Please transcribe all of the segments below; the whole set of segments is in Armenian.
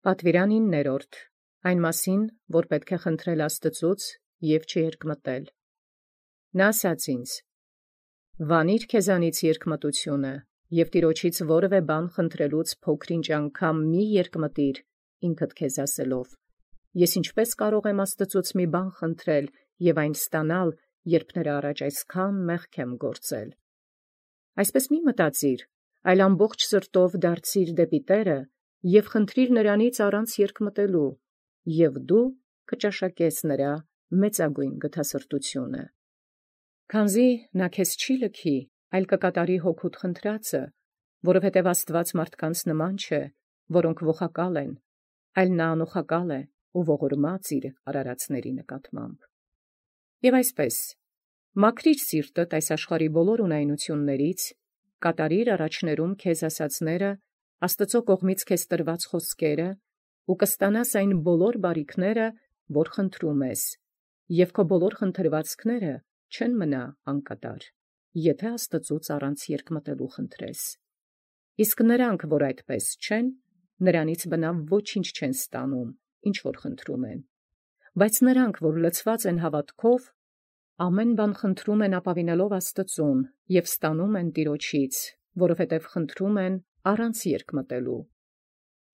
Պատվիրան 9. Այն մասին, որ պետք է խնդրել Աստծուց և չերկմտել։ Նա ասաց ինձ. «Վանիր քեզանից երկմտությունը, և Տիրոջից որևէ բան խնդրելուց փոքր-ինչ անգամ մի երկմտիր ինքդ քեզ ասելով. ես ինչպե՞ս կարող եմ Աստծուց մի բան խնդրել և այն ստանալ, երբ նրա առաջ այսքան մեղք եմ գործել։ Այսպես մի մտածիր, այլ ամբողջ սրտով դարձիր դեպի Տերը և խնդրիր նրանից առանց երկմտելու, և դու կճաշակես նրա մեծագույն գթասրտությունը։ Քանզի նա քեզ չի լքի, այլ կկատարի հոգուդ խնդրածը, որովհետև Աստված մարդկանց նման չէ, որոնք ողակալ են, այլ նա անոխակալ է ու ողորմած իր արարածների նկատմամբ։ Եվ այսպես, մաքրիր սիրտդ այս աշխարհի բոլոր ունայնություններից, կատարիր առաջներում քեզ ասացները, Աստծո կողմից քեզ տրված խոսքերը, ու կստանաս այն բոլոր բարիքները, որ խնդրում ես, և քո բոլոր խնդրվածքները չեն մնա անկատար, եթե Աստծուց առանց երկմտելու խնդրես։ Իսկ նրանք, որ այդպես չեն, նրանից բնավ ոչինչ չեն ստանում, ինչ որ խնդրում են։ Բայց նրանք, որ լցված են հավատքով, ամեն բան խնդրում են ապավինելով Աստծուն և ստանում են Տիրոջից, որովհետև խնդրում են առանց երկմտելու։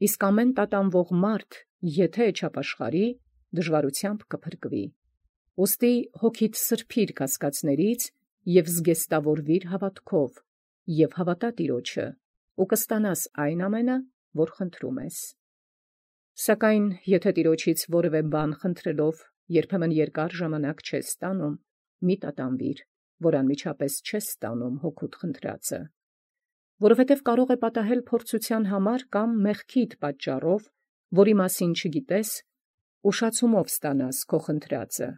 Իսկ ամեն տատանվող մարդ, եթե չապաշխարի, դժվարությամբ կփրկվի։ Ուստի հոգիդ սրբիր կասկածներից և զգեստավորվիր հավատքով, և հավատա Տիրոջը, ու կստանաս այն ամենը, որ խնդրում ես։ Սակայն եթե Տիրոջից որևէ բան խնդրելով երբեմն երկար ժամանակ չես ստանում, մի տատանվիր, որ անմիջապես չես ստանում հոգուդ խնդրածը։ Որովհետև կարող է պատահել փորձության համար կամ մեղքիդ պատճառով, որի մասին չգիտես, ուշացումով ստանաս քո խնդրածը։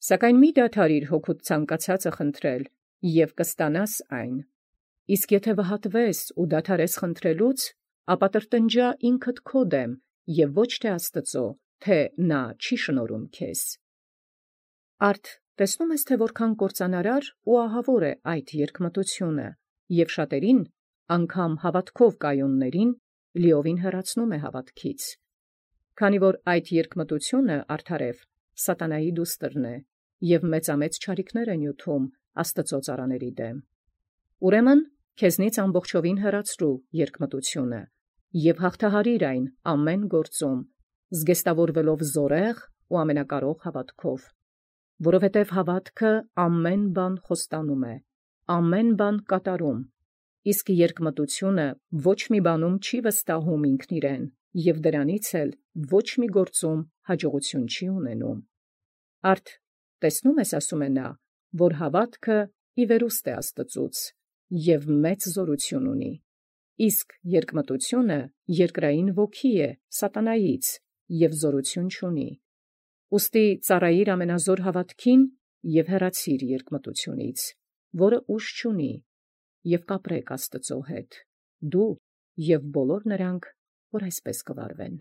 Սակայն մի դադարիր հոգուդ ցանկացածը խնդրել, և կստանաս այն։ Իսկ եթե վհատվես ու դադարես խնդրելուց, ապա տրտնջա ինքդ քո դեմ, և ոչ թե Աստծո, թե նա չի շնորհում քեզ։ Արդ տեսնում ես, թե որքան կործանարար ու ահավոր է այդ երկմտությունը, և շատերին, անգամ հավատքով կայուններին, լիովին հեռացնում է հավատքից։ Քանի որ այդ երկմտությունը արդարև սատանայի դուստրն է, և մեծամեծ չարիքներ է նյութում Աստծո ծառաների դեմ։ Ուրեմն քեզնից ամբողջովին հեռացրու երկմտությունը և հաղթահարիր այն ամեն գործում, զգեստավորվելով զորեղ ու ամենակարող հավատքով, որովհետև հավատքը ամեն բան խոստանում է, ամեն բան կատարում, իսկ երկմտությունը ոչ մի բանում չի վստահում ինքն իրեն, և դրանից էլ ոչ մի գործում հաջողություն չի ունենում։ Արդ տեսնում ես, ասում է նա, որ հավատքը ի վերուստ է Աստծուց և մեծ զորություն ունի, իսկ երկմտությունը երկրային ոգի է սատանայից և զորություն չունի։ Ուստի ծառայիր ամենազոր հավատքին և հեռացիր երկմտությունից, որը ուժ չունի, և կապրեք Աստծո հետ, դու և բոլոր նրանք, որ այսպես կվարվեն։